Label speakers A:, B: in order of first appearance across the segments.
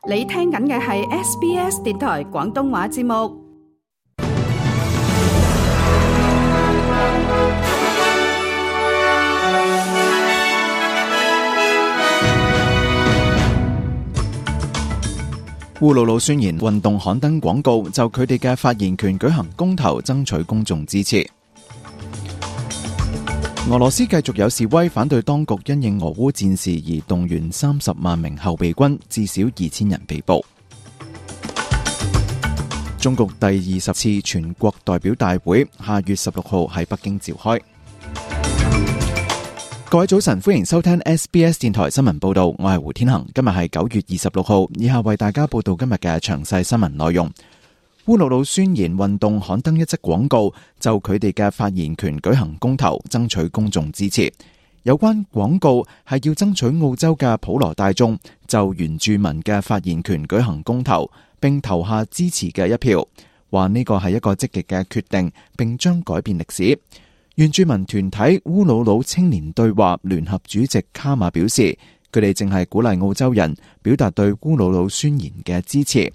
A: 你聽緊嘅係 SBS 電台廣東話節目。
B: 烏魯魯宣言運動刊登廣告，就佢哋嘅發言權舉行公投，爭取公眾支持。俄羅斯繼續有示威，反對當局因應俄烏戰事而動員30萬名後備軍，至少2000人被捕。中共第20次全國代表大會下月16號喺北京召開。各位早晨，歡迎收聽 SBS 電台新聞報道，我係胡天恒。今日係9月26號，以下為大家報道今日嘅詳細新聞內容。烏魯魯宣言運動刊登一則廣告，就佢哋嘅發言權舉行公投，爭取公眾支持。有關廣告係要爭取澳洲嘅普羅大眾就原住民嘅發言權舉行公投，並投下支持嘅一票，話呢個係一個積極嘅決定，並將改變歷史。原住民團體烏魯魯青年對話聯合主席卡馬表示，佢哋正係鼓勵澳洲人表達對烏魯魯宣言嘅支持。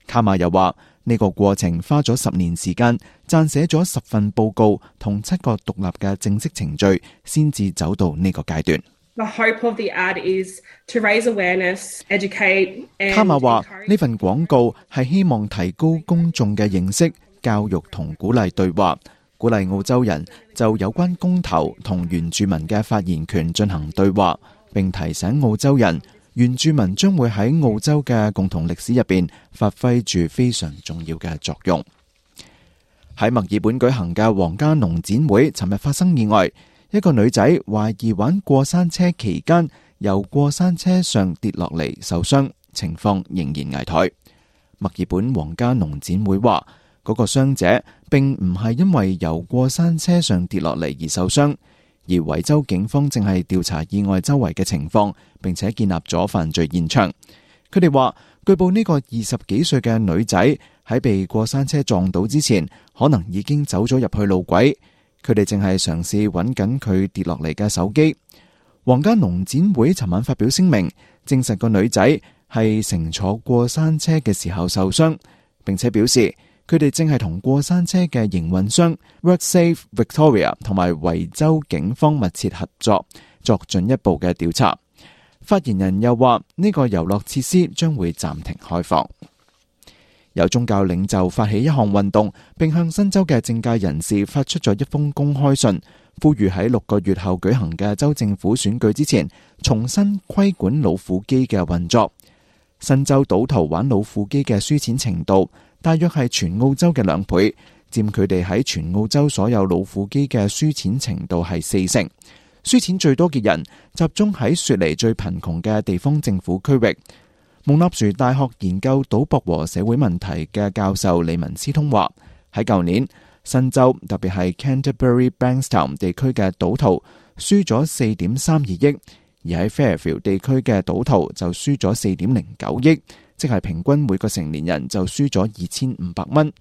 B: 卡馬又話，呢個過程花咗10年時間，撰寫咗10份報告同7個獨立嘅正式程序，先至走到呢個階段。
C: The hope of the ad is to raise awareness, educate and
B: 卡馬話，呢份廣告係希望提高公眾嘅認識、教育同鼓勵對話，鼓勵澳洲人就有關公投同原住民嘅發言權進行對話，並提醒澳洲人，原住民將會喺澳洲嘅共同歷史入邊發揮住非常重要嘅作用。喺墨爾本舉行嘅皇家農展會，尋日發生意外，一個女仔懷疑玩過山車期間由過山車上跌落嚟受傷，情況仍然危殆。墨爾本皇家農展會話，嗰個傷者並唔係因為由過山車上跌落嚟而受傷，而維州警方正係調查意外周圍嘅情況，並且建立咗犯罪現場。佢哋話，據報呢個20幾歲嘅女仔喺被過山車撞到之前，可能已經走咗入去路軌。佢哋正係嘗試揾緊佢跌落嚟嘅手機。皇家農展會尋晚發表聲明，證實個女仔係乘坐過山車嘅時候受傷，並且表示佢哋正係同過山車嘅營運商 WorkSafe Victoria 同埋維州警方密切合作，作進一步嘅調查。發言人又話，呢個遊樂設施將會暫停開放。有宗教領袖發起一項運動，並向新州嘅政界人士發出咗一封公開信，呼籲喺6個月後舉行嘅州政府選舉之前，重新規管老虎機嘅運作。新州賭徒玩老虎機嘅輸錢程度大約係全澳洲嘅2倍，佔佢哋喺全澳洲所有老虎機嘅輸錢程度係40%。輸錢最多嘅人集中喺雪梨最貧窮嘅地方政府區域。蒙納殊大學研究賭博和社會問題嘅教授李文斯通話，喺舊年新州特別係 Canterbury Bankstown 地區嘅賭徒輸咗4.32億，而喺 Fairfield 地區嘅賭徒就輸咗4.09億，即係平均每個成年人就輸咗2500蚊。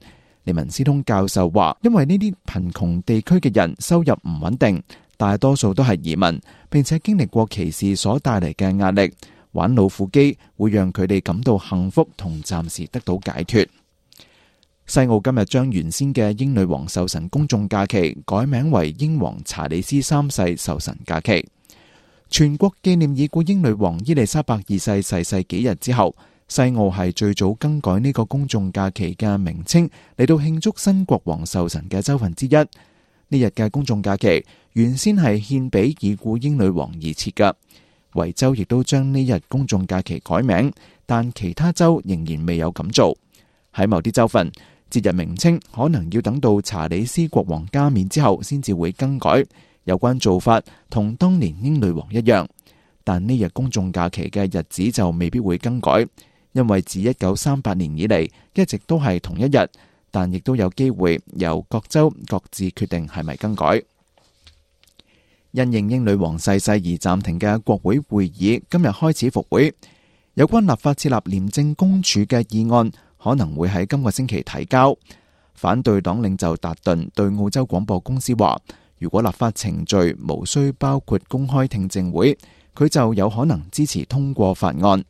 B: 李文斯通教授話，因為呢啲貧窮地區嘅人收入唔穩定，大多數都係移民，並且經歷過歧視所帶嚟嘅壓力。玩老虎機會讓佢哋感到幸福同暫時得到解脫。西澳今日將原先嘅英女王壽辰公眾假期改名為英皇查理斯3世壽辰假期，全國紀念已故英女王伊麗莎白2世逝世幾日之後，西澳係最早更改呢個公眾假期嘅名稱，嚟到慶祝新國王壽辰嘅州份之一。呢日嘅公眾假期原先係獻俾已故英女王而設嘅。維州亦都將呢日公眾假期改名，但其他州仍然未有咁做。喺某啲州份，節日名稱可能要等到查理斯國王加冕之後先至會更改。有關做法同當年英女王一樣，但呢日公眾假期嘅日子就未必會更改，因為自1938年以嚟一直都係同一日，但亦都有機會由各州各自決定係咪更改。因應英女王逝世而暫停嘅國會會議今日開始復會，有關立法設立廉政公署嘅議案可能會喺今個星期提交。反對黨領袖達頓對澳洲廣播公司話，如果立法程序無需包括公開聽證會，佢就有可能支持通過法案。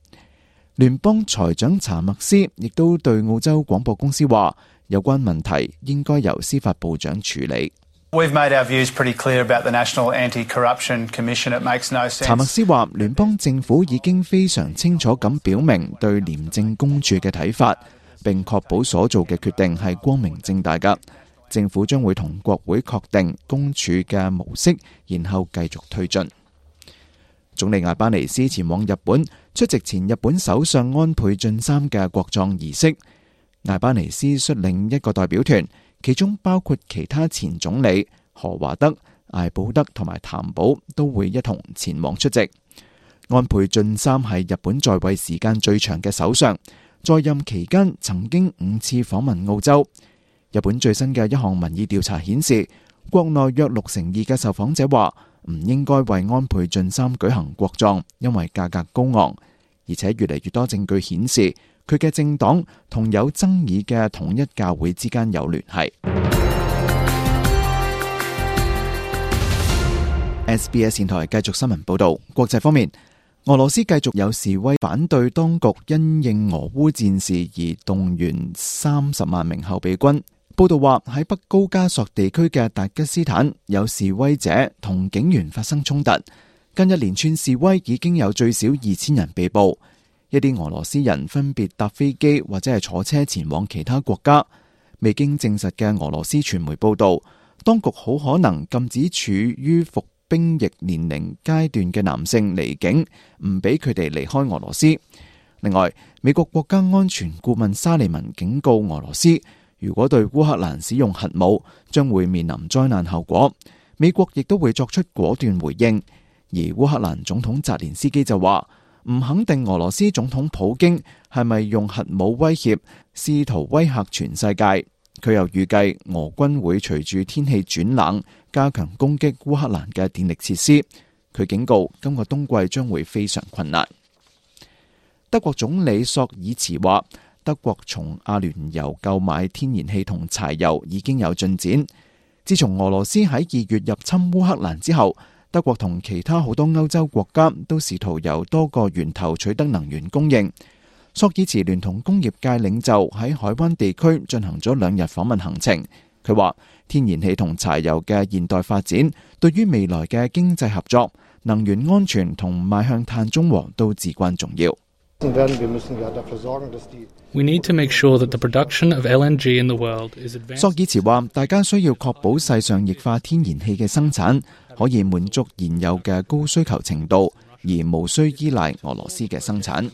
B: 聯邦財長查默斯亦都對澳洲廣播公司話，有關問題應該由司法部長處理。
D: We've made our views pretty clear about the National Anti-Corruption Commission. It makes no sense.
B: 查默斯話，聯邦政府已經非常清楚咁表明對廉政公署嘅睇法，並確保所做嘅決定係光明正大㗎。政府將會同國會確定公署嘅模式，然後繼續推進。總理艾巴尼斯前往日本出席前日本首相安倍晉三嘅國葬儀式。艾巴尼斯率領一個代表團，其中包括其他前總理何華德、艾保德同埋譚寶都會一同前往出席。安倍晉三係日本在位時間最長嘅首相，在任期間曾經5次訪問澳洲。日本最新嘅一項民意調查顯示，國內約62%嘅受訪者話唔應該為安倍晉三舉行國葬，因為價格高昂，而且越嚟越多證據顯示佢嘅政黨同有爭議嘅統一教會之間有聯繫。SBS 電台繼續新聞報道。國際方面，俄羅斯繼續有示威反對當局因應俄烏戰事而動員30萬名後備軍。報道話喺北高加索地區嘅達吉斯坦，有示威者同警員發生衝突。近一連串示威已經有最少2000人被捕。一啲俄羅斯人分別搭飛機或者係坐車前往其他國家。未經證實嘅俄羅斯傳媒報道，當局好可能禁止處於服兵役年齡階段嘅男性離境，唔俾佢哋離開俄羅斯。另外，美國國家安全顧問沙利文警告俄羅斯，如果對烏克蘭使用核武，將會面臨災難後果。美國亦都會作出果斷回應。而烏克蘭總統澤連斯基就話，唔肯定俄羅斯總統普京係咪用核武威脅，試圖威嚇全世界。佢又預計俄軍會隨住天氣轉冷，加強攻擊烏克蘭嘅電力設施。佢警告，今個冬季將會非常困難。德國總理朔爾茨話，德國從阿聯酋購買天然氣同柴油已經有進展。自從俄羅斯喺2月入侵烏克蘭之後，德國同其他好多歐洲國家都試圖由多個源頭取得能源供應。朔爾茨聯同工業界領袖喺海灣地區進行咗2日訪問行程。佢話，天然氣同柴油嘅現代發展對於未來嘅經濟合作、能源安全同邁向碳中和都至關重要。
E: We need to make sure that the production of LNG in the world is advanced.
B: 朔爾茨話，大家需要確保世上液化天然氣嘅生產可以滿足現有嘅高需求程度，而無需依賴俄羅斯嘅生產。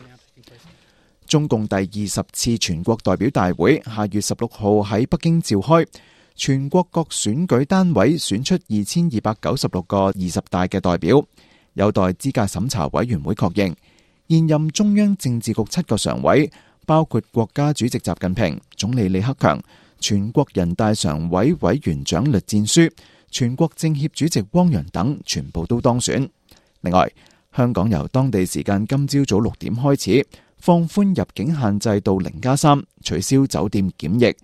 B: 中共第20次全國代表大會下月16號喺北京召開，全國各選舉單位選出2296個20大嘅代表，有待資格審查委員會確認。現任中央政治局7個常委，包括國家主席習近平、總理李克強、全國人大常委委員長栗戰書、全國政協主席汪洋等，全部都當選。另外，香港由當地時間今朝早6點開始放寬入境限制到0+3，取消酒店檢疫。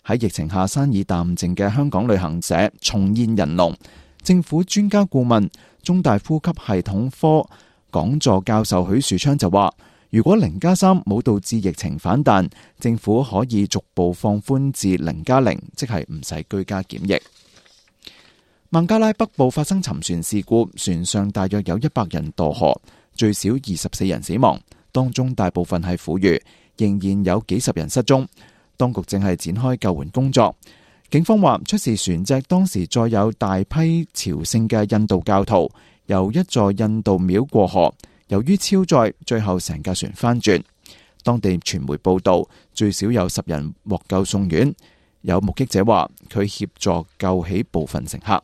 B: 喺疫情下生意淡靜嘅香港旅行社重現人龍。政府專家顧問、中大呼吸系統科講座教授許樹昌就話，如果0+3冇導致疫情反彈，政府可以逐步放寬至0+0，即係唔使居家檢疫。孟加拉北部發生沉船事故，船上大約有100人墮河，最少24人死亡，當中大部分係婦孺，仍然有幾十人失蹤。當局正係展開救援工作。警方話，出事船隻當時載有大批朝聖嘅印度教徒，由一座印度廟過河，由於超載，最後成架船翻轉。當地傳媒報道，最少有10人獲救送院。有目擊者話，佢協助救起部分乘客。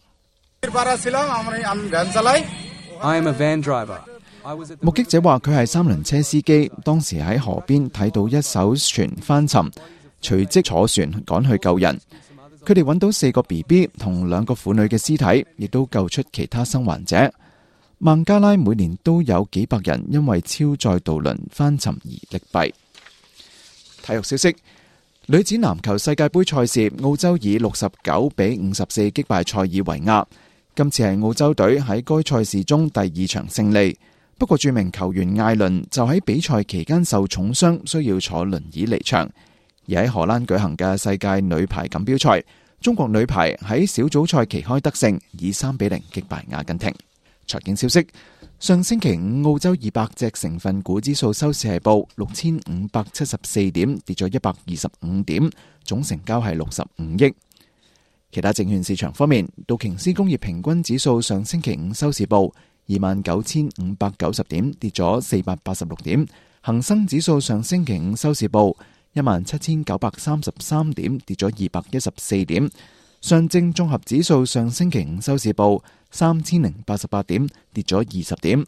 B: 目擊者話，佢係3輪車司機，當時喺河邊睇到一艘船翻沉，隨即坐船趕去救人。佢哋揾到4個 BB 同2個婦女嘅屍體，亦都救出其他生還者。孟加拉每年都有幾百人因為超載渡輪翻沉而溺斃。體育消息：女子籃球世界盃賽事，澳洲以69-54擊敗塞爾維亞。今次係澳洲隊喺該賽事中第2場勝利。不過著名球員艾倫就喺比賽期間受重傷，需要坐輪椅離場。而喺荷蘭舉行嘅世界女排錦標賽，中國女排喺小組賽旗開得勝，以3-0擊敗阿根廷。財經消息，上星期五澳洲200隻成分股指數收市係報6574點，跌咗125點，總成交係65億。其他證券市場方面，道瓊斯工業平均指數上星期五收市報29,590點，跌咗486點。恒生指數上星期五收市報17,933點，跌咗214點。上證綜合指數上星期五收市報3,088點，跌咗20點。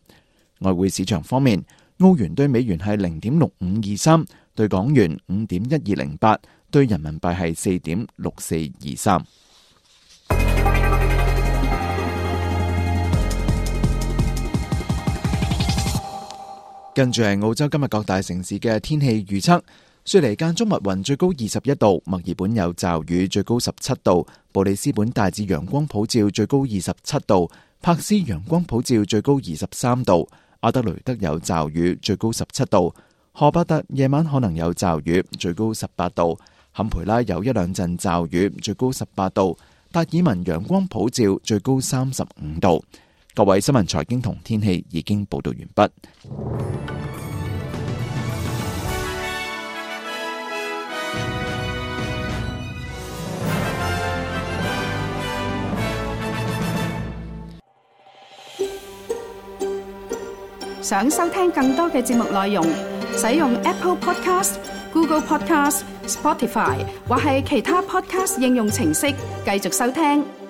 B: 外匯市場方面，澳元對美元係0.6523，對港元5.1208，對人民幣係4.6423。跟住係澳洲今日各大城市嘅天氣預測。雪梨間中密雲，最高21度；墨爾本有驟雨，最高17度；布里斯本大致陽光普照，最高27度；柏斯陽光普照，最高23度；阿德雷德有驟雨，最高17度；荷伯特夜晚可能有驟雨，最高18度；坎培拉有一兩陣驟雨，最高18度；達爾文陽光普照，最高35度。各位新聞財經同天氣已經報道完畢。
A: 想收聽更多嘅節目內容，使用 Apple Podcast、Google Podcast、Spotify 或係其他 Podcast 應用程式繼續收聽。